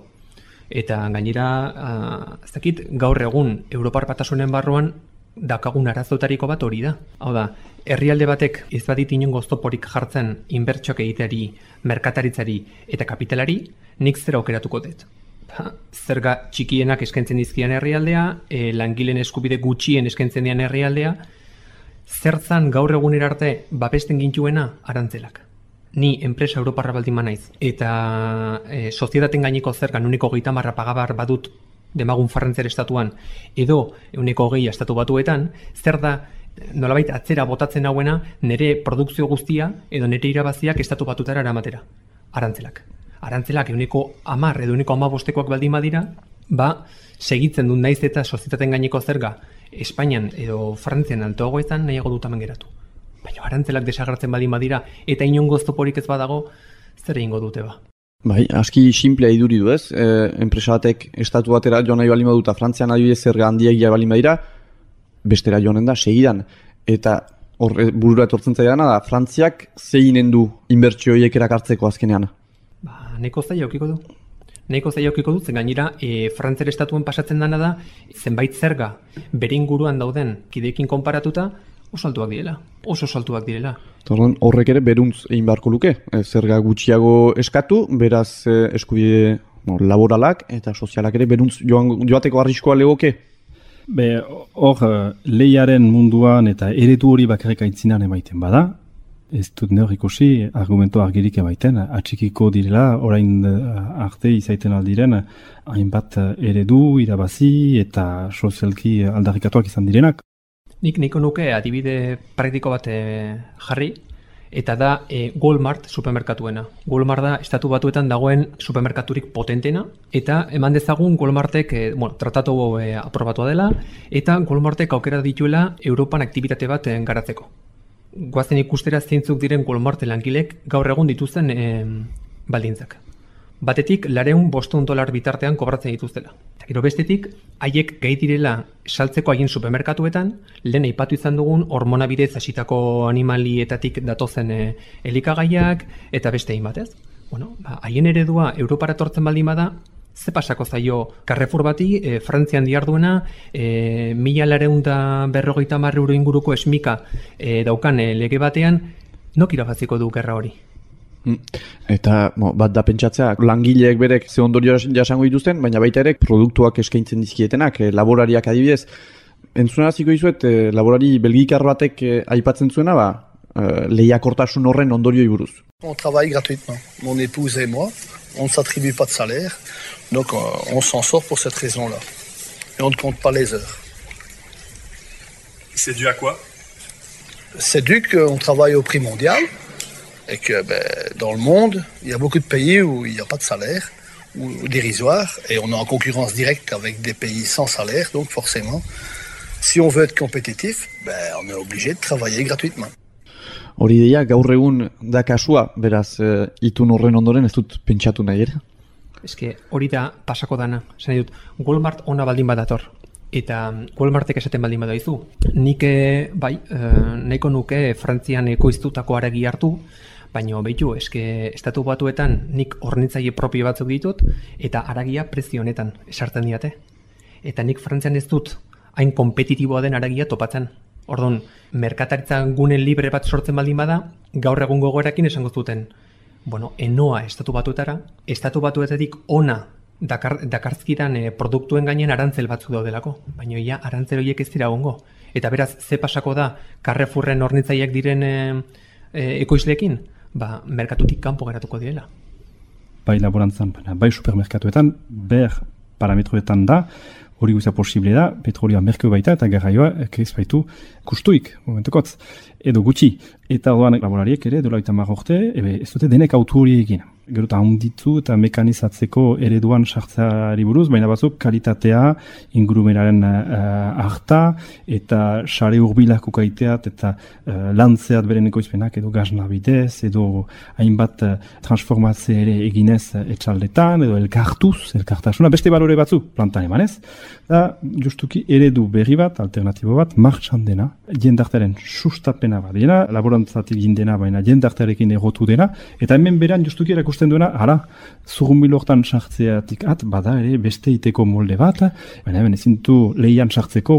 Eta gainera, uh, ez dakit, gaur egun Europar Batasunen barruan dakagun arazotariko bat hori da. Hau da, herrialde batek ez badit inongo oztoporik jartzen inbertsioak egiteari, merkataritzari eta kapitalari, nik zera aukeratuko dut. Ba, zerga txikienak eskaintzen dizkian herrialdea, e, langileen eskubide gutxien eskaintzen dian herrialdea, zertzan gaur egunera arte babesten gintuena arantzelak. Ni enpresa Europarra baldin manaiz, eta e, soziedaten gaineko zergan uniko geita marra pagabar badut demagun Frantziar estatuan, edo ehuneko hogei estatu batuetan, zer da nolabait atzera botatzen hauena nire produkzio guztia edo nire irabaziak estatu batutara eramatera. Arantzelak. Arantzelak ehuneko hamar edo ehuneko hamabostekoak baldin badira, ba, segitzen dut naiz eta sozietateen gaineko zerga Espainian edo Frantzian altoago izan nahiago dut hemen geratu. Baina arantzelak desagertzen baldin badira eta inongo oztoporik ez badago, zer egingo dute ba. Bai, aski simplea iduri du ez, e, enpresa batek estatu batera joan nahi balin baduta, Frantzian adibidez zerga handiegia balin badira, bestera joanen da, segidan. Eta horre burura etortzen zaidana da, Frantziak zeinen du inbertsio horiek erakartzeko azkenean? Ba, nahiko zaila aukiko du. Nahiko zaila aukiko du, zen gainera, e, Frantziar estatuen pasatzen dana da, zenbait zerga bere inguruan dauden kideekin konparatuta, oso altuak direla, oso altuak direla. Torren, horrek ere beruntz egin beharko luke, e, zerga gutxiago eskatu, beraz e, eskubide no, laboralak eta sozialak ere beruntz joan, joateko arriskoa legoke? Be, hor, lehiaren munduan eta eredu hori bakarrik aitzinan emaiten bada, ez dut neur ikusi argumento argirik emaiten, atxikiko direla, orain arte izaiten aldiren, hainbat eredu, irabazi eta sozialki aldarrikatuak izan direnak. Nik niko nuke adibide praktiko bat e, jarri, eta da e, Walmart supermerkatuena. Walmart da estatu batuetan dagoen supermerkaturik potentena, eta eman dezagun Walmartek e, bueno, tratatu e, aprobatua dela, eta Walmartek aukera dituela Europan aktibitate bat e, garatzeko. Goazen ikustera zeintzuk diren Walmart langilek gaur egun dituzten e, baldintzak. Batetik, lareun bostehun dolar bitartean kobratzen dituztela. Eta gero bestetik, haiek gai direla saltzeko haien supermerkatuetan, lehen aipatu izan dugun hormona bidez hasitako animalietatik datozen e, elikagaiak eta beste hainbat, ez? Bueno, ba, haien eredua Europara etortzen baldin bada, ze pasako zaio Carrefour bati, e, Frantzian diarduena, e, mila lareun da berrogeita hamar euro inguruko esmika e, daukan e, lege batean, nok irabaziko du gerra hori? Eta mo, bat da pentsatzea, langileek berek ze ondorio jasango dituzten, baina baita ere produktuak eskaintzen dizkietenak, e, laborariak adibidez. Entzunaraziko dizuet, e, laborari belgikar batek e, aipatzen zuena, ba, e, lehiakortasun horren ondorioi buruz. On travaille gratuitement. Mon épouse et moi, on ne s'attribue pas de salaire, donc on, on s'en sort pour cette raison-là. Et on ne compte pas les heures. C'est dû à quoi? C'est dû qu'on travaille au prix mondial. Et que ben, dans le monde, il y a beaucoup de pays où il n'y a pas de salaire, ou dérisoire, et on est en concurrence directe avec des pays sans salaire, donc forcément, si on veut être compétitif, ben, on est obligé de travailler gratuitement. Hori deia, gaur egun da kasua, beraz, e, itun horren ondoren ez dut pentsatu nahi ere? Eske hori da pasako dana, zen dut, Walmart ona baldin badator. Eta Walmartek esaten baldin badaizu. Nik bai, nahiko nuke Frantzian ekoiztutako haragi hartu, baina behitu, eske estatu batuetan nik hornitzaile propio batzuk ditut, eta haragia prezio honetan esartzen diate. Eta nik Frantzian ez dut hain kompetitiboa den haragia topatzen. Orduan, merkataritza gune libre bat sortzen baldin bada, gaur egun gogorakin esango zuten. Bueno, enoa estatu batuetara, estatu batuetatik ona Dakar, dakarzkidan e, produktuen gainean arantzel batzuk daudelako, baina ia arantzel horiek ez dira egongo. Eta beraz, ze pasako da Carrefourren hornitzaileak diren e, e, ekoizleekin? Ba, merkatutik kanpo geratuko direla. Bai laborantzan, bai supermerkatuetan, ber parametroetan da, hori guztia posible da, petrolioa merkeo baita eta garraioa ez baitu kustuik, momentukotz, edo gutxi. Eta orduan laborariek ere, dola eta mar urte, ebe, ez dute denek autu hori egin. Gero eta handitu eta mekanizatzeko ereduan sartzeari buruz, baina batzuk kalitatea, ingurumenaren uh, harta, eta sare urbilak ukaiteat, eta uh, lantzeat beren ekoizpenak, edo gazna bidez, edo hainbat uh, transformatze ere eginez uh, etxaldetan, edo elkartuz, elkartasuna, beste balore batzuk plantan emanez. Da, justuki eredu berri bat, alternatibo bat, martxan dena, jendartaren sustapena bat dena, laborantzatik gindena, baina jendartarekin egotu dena, eta hemen beran justuki erakusten duena, ara, zurrunbil hortan sartzeatik at, bada ere beste iteko molde bat, baina hemen ezintu lehian sartzeko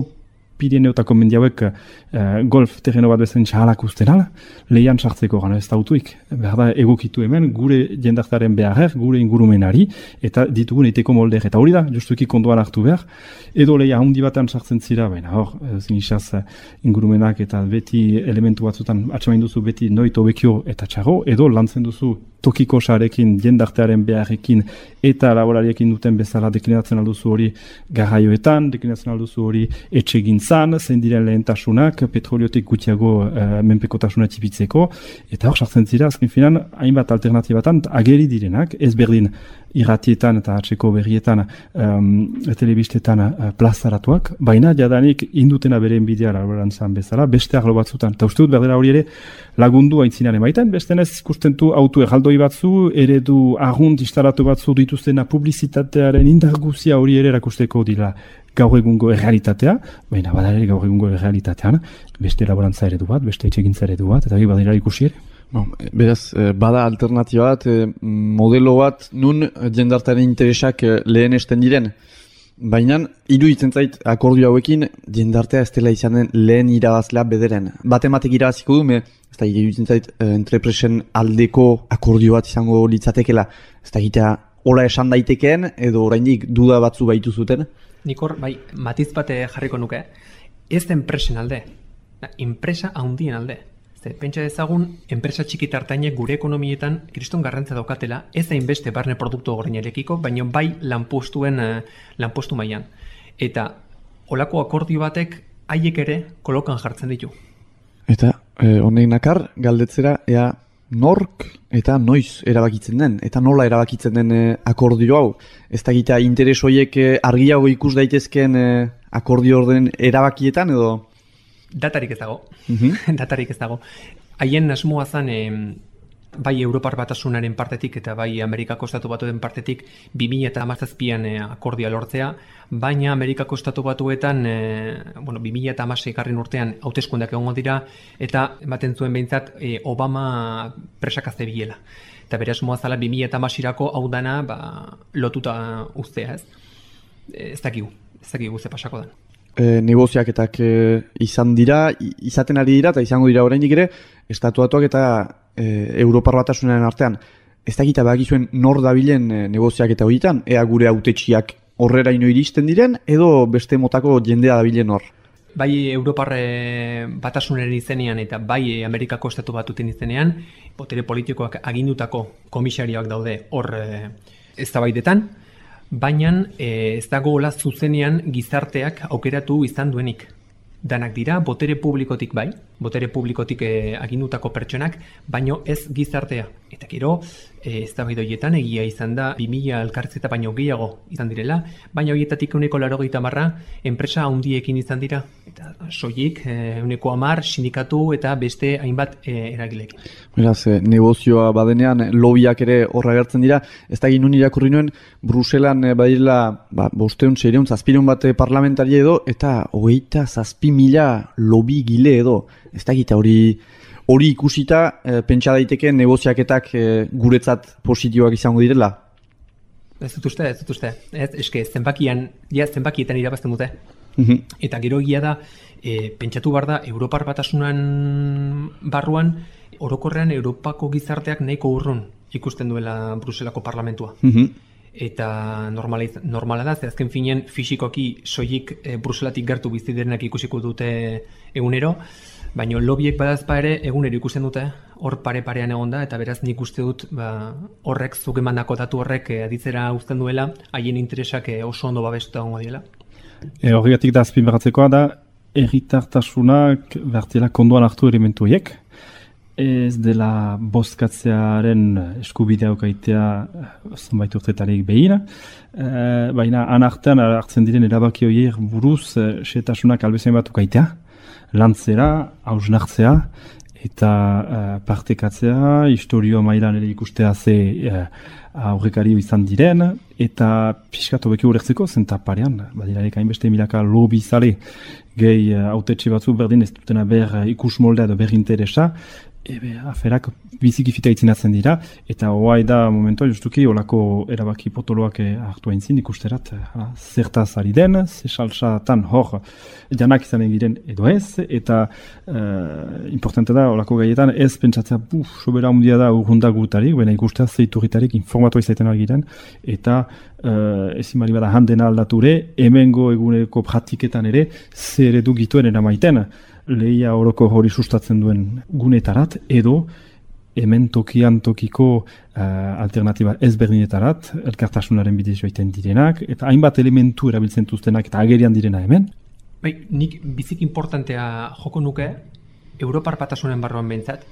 Pirineotako mendi hauek uh, golf terreno bat bezain txahalak usten ala, lehian sartzeko gana ez dautuik. Behar da egokitu hemen gure jendartaren beharrer, gure ingurumenari, eta ditugun eiteko molder. Eta hori da, justuki konduan hartu behar, edo lehia handi batean sartzen zira, baina hor, zinisaz ingurumenak eta beti elementu batzutan atxamain duzu beti noit hobekio eta txarro, edo lantzen duzu tokiko sarekin, jendartearen beharrekin eta laborariekin duten bezala deklinatzen alduzu hori garraioetan, deklinatzen alduzu hori etxegintzan, zein diren lehentasunak, petroliotik gutxiago uh, menpekotasuna txipitzeko, eta hor sartzen zira, azken finan, hainbat alternatibatan ageri direnak, ez berdin irratietan eta atzeko berrietan um, telebistetan uh, plazaratuak, baina jadanik indutena beren bidea laborantzan bezala, beste arlo batzutan, eta uste dut berdera hori ere lagundu aintzinaren baitan, bestenez ikustentu auto erraldoi batzu, eredu argunt instalatu batzu dituztena publizitatearen indarguzia hori ere erakusteko dira gaur egungo errealitatea, baina badare gaur egungo errealitatean, beste laborantza eredu bat, beste etxegintza eredu bat, eta gai badira ikusi ere. Bon, beraz, bada alternatiba bat, modelo bat, nun jendartaren interesak lehenesten diren. Baina, iruditzen zait akordio hauekin, jendartea ez dela izanen lehen irabazlea bederen. Batematek irabaziko du, me, ez da iruditzen zait entrepresen aldeko akordio bat izango litzatekela. Ez da egitea, hola esan daitekeen, edo oraindik duda batzu baitu zuten. Nikor, bai, matiz bate jarriko nuke, ez da enpresen alde, enpresa handien alde. Ze, pentsa dezagun, enpresa txikitartainek gure ekonomietan kriston garrantzia daukatela, ez da inbeste barne produktu gorinarekiko, baina bai lanpostuen uh, lanpostu mailan. Eta olako akordio batek haiek ere kolokan jartzen ditu. Eta honek eh, nakar, galdetzera, ea nork eta noiz erabakitzen den, eta nola erabakitzen den eh, akordio hau. Ez da gita interes horiek eh, argiago ikus daitezken eh, akordio orden erabakietan edo... Datarik ez dago. Mm-hmm. Datarik ez dago. Haien asmoa zen e, bai Europar Batasunaren partetik eta bai Amerikako Estatu Batuen partetik bi mila hamazazpian e, akordioa lortzea, baina Amerikako Estatu Batuetan e, bueno, bi mila hamasei garren urtean hauteskundeak egongo dira eta ematen zuen behintzat e, Obama presaka zebilela. Eta bere asmoa zala bi mila hamaseirako hau dana ba, lotuta uztea, ez? E, ez dakigu, ez dakigu ze pasako da. E, negoziaketak e, izan dira, izaten ari dira, eta izango dira oraindik ere, estatuatuak eta e, Europar Batasunaren artean. Ez da gita bagizuen nor dabilen e, negoziaketa horietan, ea gure hautetsiak horrera ino iristen diren, edo beste motako jendea dabilen hor. Bai Europar Batasunaren izenean eta bai Amerikako Estatu Batuten izenean, botere politikoak agindutako komisarioak daude hor e, eztabaidetan. Baina e, ez dago hola zuzenean gizarteak aukeratu izan duenik. Danak dira, botere publikotik bai, botere publikotik e, agindutako pertsonak, baino ez gizartea. Eta gero, e, ez da horietan egia izan da, bi mila elkarrizketa baino gehiago izan direla, baina horietatik euneko laurogeita marra enpresa handiekin izan dira. Eta soilik, euneko hamar, sindikatu eta beste hainbat e, eragilekin. Beraz, e, negozioa badenean, lobiak ere horra gertzen dira, ez da ginun irakurri nuen, Bruselan e, badirela, ba, bosteun, seireun, zazpireun bat parlamentari edo, eta hogeita zazpi mila lobi gile edo, ez da gita hori hori ikusita, e, pentsa daiteke negoziaketak e, guretzat positioak izango direla? Ez dut uste, ez dut uste. Ez, eske, zenbakian, ja, zenbakietan irabazten dute. Mm-hmm. Eta gero egia da, e, pentsatu behar da, Europar Batasunan barruan, orokorrean Europako gizarteak nahiko urrun ikusten duela Bruselako parlamentua. Mm-hmm. Eta normala, normala da, ze azken finean fisikoki soilik e, Bruselatik gertu bizi direnak ikusiko dute egunero, baina lobiek badazpa ere egunero ikusten dute, hor pare-parean egon da, eta beraz nik uste dut ba, horrek, zuk emandako datu horrek e, aditzera uzten duela, haien interesak e, oso ondo babestuta egongo diela. E, Horregatik da azpimarratzekoa da, herritartasunak bertela konduan hartu elementu horiek, ez dela bozkatzearen eskubidea okaitea zenbait urtetarik behin, e, baina anartean hartzen diren erabaki horiek buruz e, setasunak albezain bat okaitea, lantzera, hausnartzea, eta uh, partekatzea, historio mailan ere ikustea ze uh, aurrekario izan diren, eta pixkatu beki ulertzeko, zenta parean, badirarek hainbeste milaka lobi zale, gehi uh, autetxe batzu berdin ez dutena ber uh, ikus moldea edo ber interesa, ebe, aferak biziki fita itzinatzen dira, eta hoai da momentua justuki olako erabaki potoloak hartu aintzin ikusterat, hala, zertaz ari den, ze salsatan hor janak izanen giren edo ez, eta uh, importante da olako gaietan ez pentsatzea, buf, sobera handia da urrunda gutarik, baina ikustea zeiturritarik informatua izaiten algiren, eta uh, ezin bali bada handena aldature, hemengo eguneko praktiketan ere, zer edu gituen eramaiten, lehia oroko hori sustatzen duen gunetarat, edo hemen tokian tokiko uh, alternatiba ezberdinetarat, elkartasunaren bidez joaiten direnak, eta hainbat elementu erabiltzen duztenak eta agerian direna hemen. Bai, nik bizik importantea joko nuke, Europar Batasunen barruan behintzat,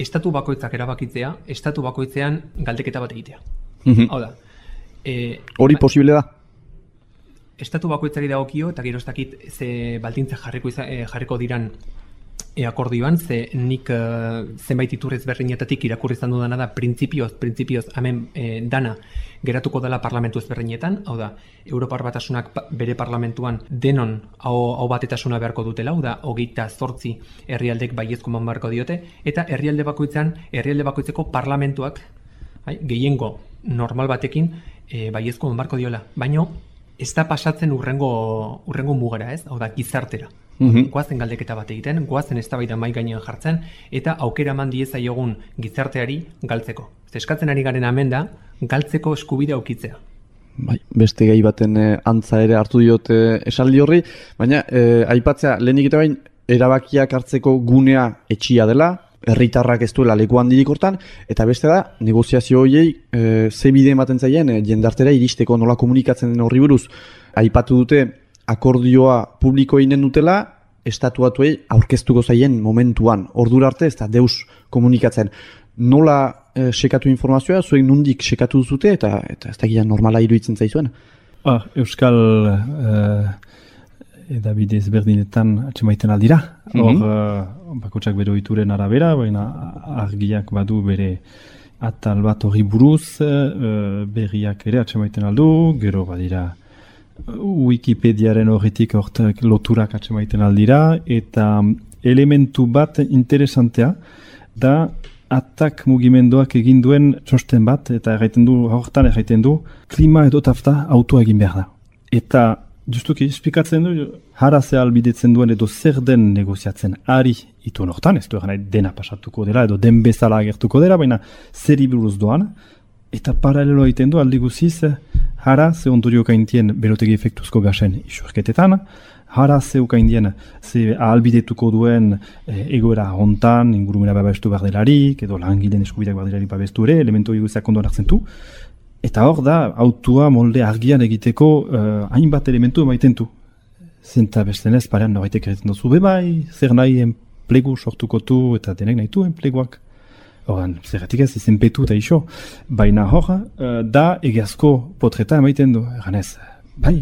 estatu bakoitzak erabakitzea, estatu bakoitzean galdeketa bat egitea. Mhm. Hau da. E, Hori posible da? Estatu bakoitzari dagokio eta gero ez dakit ze baldintza jarriko, iza, eh, jarriko diran e, akordioan, ze nik uh, zenbait iturri ezberdinetatik irakurri izan dudana da printzipioz, printzipioz hemen e, dana geratuko dela parlamentu ezberdinetan, hau da, Europar Batasunak pa, bere parlamentuan denon hau, hau batetasuna beharko dutela, hau da, hogeita zortzi herrialdek baiezko eman beharko diote, eta herrialde bakoitzan, herrialde bakoitzeko parlamentuak, hai, gehiengo normal batekin e, baiezko eman beharko diola, baino ez da pasatzen urrengo, urrengo mugara, ez? Hau da, gizartera. Mm-hmm. Goazen galdeketa bat egiten, goazen eztabaida mai gainean jartzen, eta aukera eman diezaiogun gizarteari galtzeko. Eskatzen ari garen hemen da, galtzeko eskubidea aukitzea. Bai, beste gai baten eh, antza ere hartu diote esaldi horri, baina eh, aipatzea, lehenik eta bain, erabakiak hartzeko gunea etxia dela, herritarrak ez duela leku handirik hortan, eta beste da, negoziazio horiei e, ze bide ematen zaien e, jendartera iristeko nola komunikatzen den horri buruz. Aipatu dute akordioa publiko eginen dutela, estatuatuei aurkeztuko zaien momentuan. Ordura arte ez da deus komunikatzen. Nola e, sekatu informazioa, zuek nundik sekatu duzute, eta, eta ez da gira normala iruditzen zaizuen? Ah, Euskal uh, edabide ezberdinetan atxemaiten aldira. Hor, mm -hmm. uh, bakotsak bere ohituren arabera, baina argiak badu bere atal bat hori buruz, uh, berriak ere atxemaiten aldu, gero badira Wikipediaren horretik hortek loturak atxemaiten aldira, eta elementu bat interesantea da atak mugimenduak egin duen txosten bat, eta erraiten du, hortan erraiten du, klima edo tafta autoa egin behar da. Eta justuki, esplikatzen du, harazea albidetzen duen edo zer den negoziatzen ari ituen hortan, ez du egan dena pasatuko dela, edo den bezala agertuko dela, baina zer buruz doan, eta paralelo egiten du aldi guziz, hara ze ondorio kaintien berotegi efektuzko gasen isurketetan, hara ze ukaindien ze ahalbidetuko duen e, egoera hontan, ingurumena babestu behar delarik, edo langileen eskubideak behar delarik babestu ere, elementu eguziak ondoan hartzen du. Eta hor da, autua molde argian egiteko uh, hainbat elementu emaiten du. Zenta bestenez, parean norbaitek egiten duzu, bebai, zer nahi enplegu sortukotu eta denek nahi du enpleguak. Horan, zerratik ez, izenpetu eta iso. Baina hor, uh, da egiazko potreta emaiten du. Eganez, bai,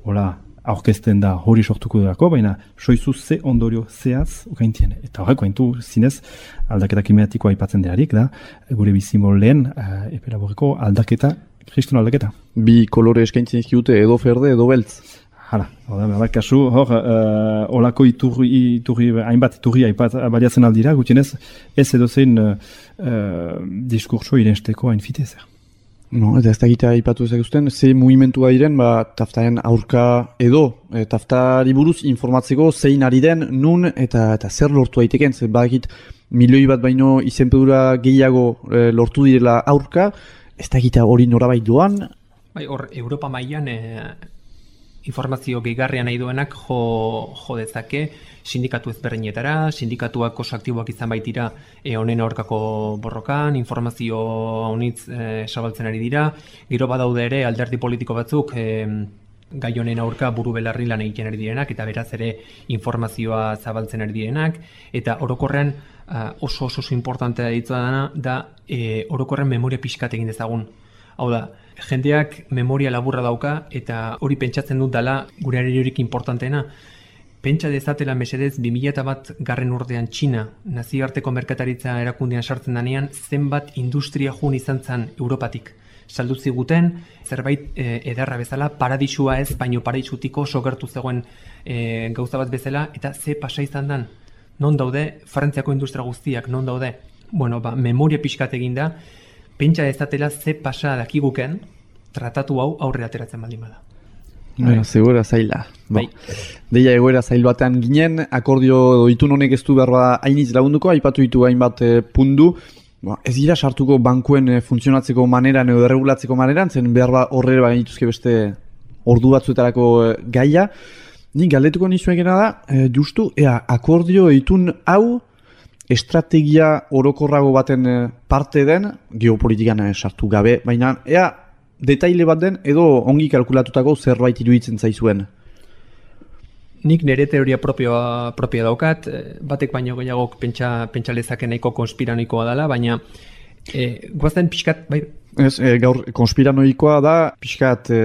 hola, aurkezten da hori sortuko durako, baina soizu ze ondorio zehaz ukaintien. Eta horreko haintu zinez aldaketa klimatikoa aipatzen delarik da, gure bizimoldeen uh, epelaboreko aldaketa, kriston aldaketa. Bi kolore eskaintzen izkiute edo ferde edo beltz. Hala, hor kasu, hor, uh, olako iturri, iturri, hainbat iturri aipat baliatzen aldira, gutienez ez edo zein uh, uh, diskurso irensteko hain fitezer. No, eta ez da egitea aipatu ezaguzten, ze mugimentua diren, ba, taftaren aurka edo, e, taftari buruz informatzeko zein ari den, nun, eta, eta zer lortu daiteken, ze badakit milioi bat baino izenpedura gehiago e, lortu direla aurka, ez da egitea hori norabait doan. Bai, hor, Europa mailan e, informazio gehigarria nahi duenak jo, jo dezake, sindikatu ezberdinetara, sindikatuak oso aktiboak izan baitira e, honen aurkako borrokan, informazio honitz e, zabaltzen ari dira, gero badaude ere alderdi politiko batzuk e, gai honen aurka buru belarri lan egiten ari direnak, eta beraz ere informazioa zabaltzen ari direnak, eta orokorrean oso oso oso importantea ditua dana da e, orokorren memoria pixkat egin dezagun. Hau da, jendeak memoria laburra dauka, eta hori pentsatzen dut dela gure areriorik importanteena. Pentsa dezatela mesedez bi mila bat garren urtean Txina nazioarteko merkataritza erakundean sartzen danean zenbat industria jun izan zen Europatik. Saldu ziguten, zerbait e, ederra bezala, paradisua ez, baino paradisutiko oso gertu zegoen e, gauza bat bezala, eta ze pasa izan dan. Non daude, Frantziako industria guztiak, non daude? Bueno, ba, memoria pixkat eginda, pentsa ezatela ze pasa dakiguken, tratatu hau aurre ateratzen baldin bada. Bueno, segura zaila. Bai. Deia egoera zail batean ginen, akordio edo itun honek ez du behar bada hainitz lagunduko, aipatu ditu hainbat e, pundu. Ba, ez dira sartuko bankuen e, funtzionatzeko maneran edo erregulatzeko maneran, zen behar ba horre ba gainituzke beste ordu batzuetarako e, gaia. Nik galdetuko nizuekena da, e, justu, ea, akordio itun hau estrategia orokorrago baten e, parte den, geopolitikan e, sartu gabe, baina ea, detaile bat den edo ongi kalkulatutako zerbait iruditzen zaizuen? Nik nire teoria propioa, propioa daukat, batek baino gehiagok pentsa, pentsa lezake nahiko konspiranoikoa dela, baina e, guazten pixkat, bai? Ez, e, gaur konspiranoikoa da, pixkat e,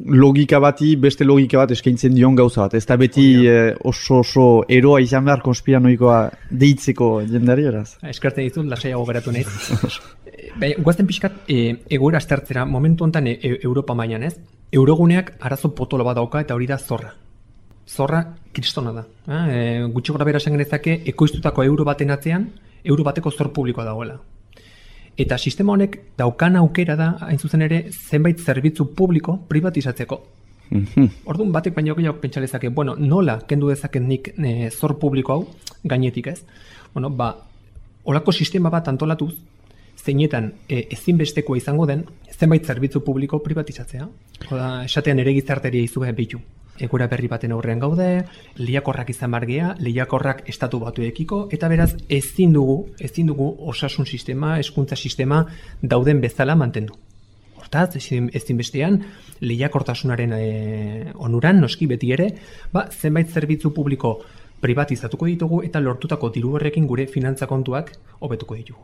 logika bati, beste logika bat eskaintzen dion gauza bat. Ez da beti e, oso oso eroa izan behar konspiranoikoa deitzeko jendari, eraz? Eskertzen ditut, lasaiago geratu nahi. Bai, guazten pixkat e, egoera aztertzera, momentu honetan e, Europa mailan, ez? Euroguneak arazo potolo bat dauka eta hori da zorra. Zorra kristona da. E, gutxi gora bera esan genezake, ekoiztutako euro baten atzean, euro bateko zor publikoa dagoela. Eta sistema honek daukan aukera da, hain zuzen ere, zenbait zerbitzu publiko privatizatzeko. Orduan batek baino gehiago pentsa lezake, bueno, nola kendu dezaket nik e, zor publiko hau, gainetik ez? Bueno, ba, olako sistema bat antolatuz, zeinetan e, ezinbestekoa izango den, zenbait zerbitzu publiko privatizatzea. Oda, esatean ere gizarteria izue behitu. Egura berri baten aurrean gaude, lehiakorrak izan bargea, lehiakorrak estatu batuekiko, eta beraz ezin dugu, ezin dugu osasun sistema, hezkuntza sistema dauden bezala mantendu. Hortaz, ezinbestean, lehiakortasunaren e, onuran, noski beti ere, ba, zenbait zerbitzu publiko privatizatuko ditugu eta lortutako diru horrekin gure finantza kontuak hobetuko ditugu.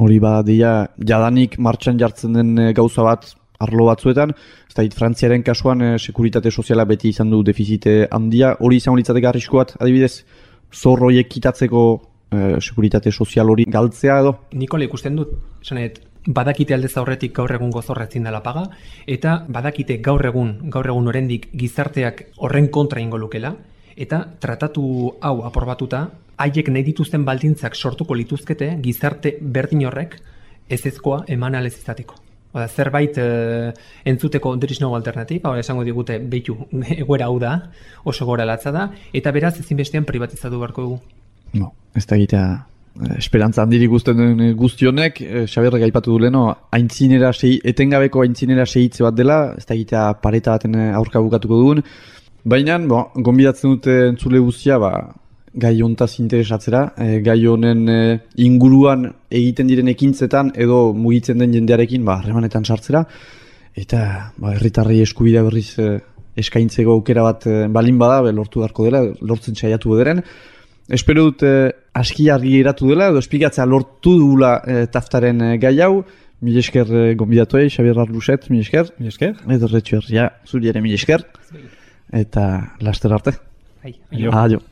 Hori ba, dia, jadanik martxan jartzen den e, gauza bat, arlo batzuetan, ez da, Frantziaren kasuan e, sekuritate soziala beti izan du defizite handia, hori izango litzateke arrisko bat, adibidez, zorroiek kitatzeko e, sekuritate sozial hori galtzea edo? Nikole ikusten dut, esanet, badakite aldez aurretik gaur egun gozorra ezin dela paga, eta badakite gaur egun, gaur egun oraindik gizarteak horren kontra ingo lukela, eta tratatu hau aprobatuta, haiek nahi dituzten baldintzak sortuko lituzkete gizarte berdin horrek ezezkoa eman alez izateko. Oda, zerbait e, entzuteko there is no alternative, hau esango digute behitu egoera hau da, oso gora latza da, eta beraz ezinbestean privatizatu beharko dugu. No, ez da egitea, esperantza handirik guztien den guztionek, e, Xabierrek aipatu du leno, aintzinera sei, etengabeko aintzinera segitze bat dela, ez da egitea pareta baten aurka bukatuko dugun, baina, bo, gonbidatzen dute entzule guztia, ba, gai hontaz interesatzera, e, gai honen e, inguruan egiten diren ekintzetan edo mugitzen den jendearekin ba, harremanetan sartzera, eta ba, herritarrei eskubidea berriz e, eskaintzeko aukera bat e, balin bada, be, lortu beharko dela, lortzen saiatu bederen. Espero dut e, aski argi geratu dela, edo esplikatzea lortu dugula e, taftaren e, gai hau, mil esker e, gonbidatuei, Xabier Arluset, mil esker, mil esker, edo retxuer, ja, zuri ere mil esker, eta laster arte. Hai, aio. Aio.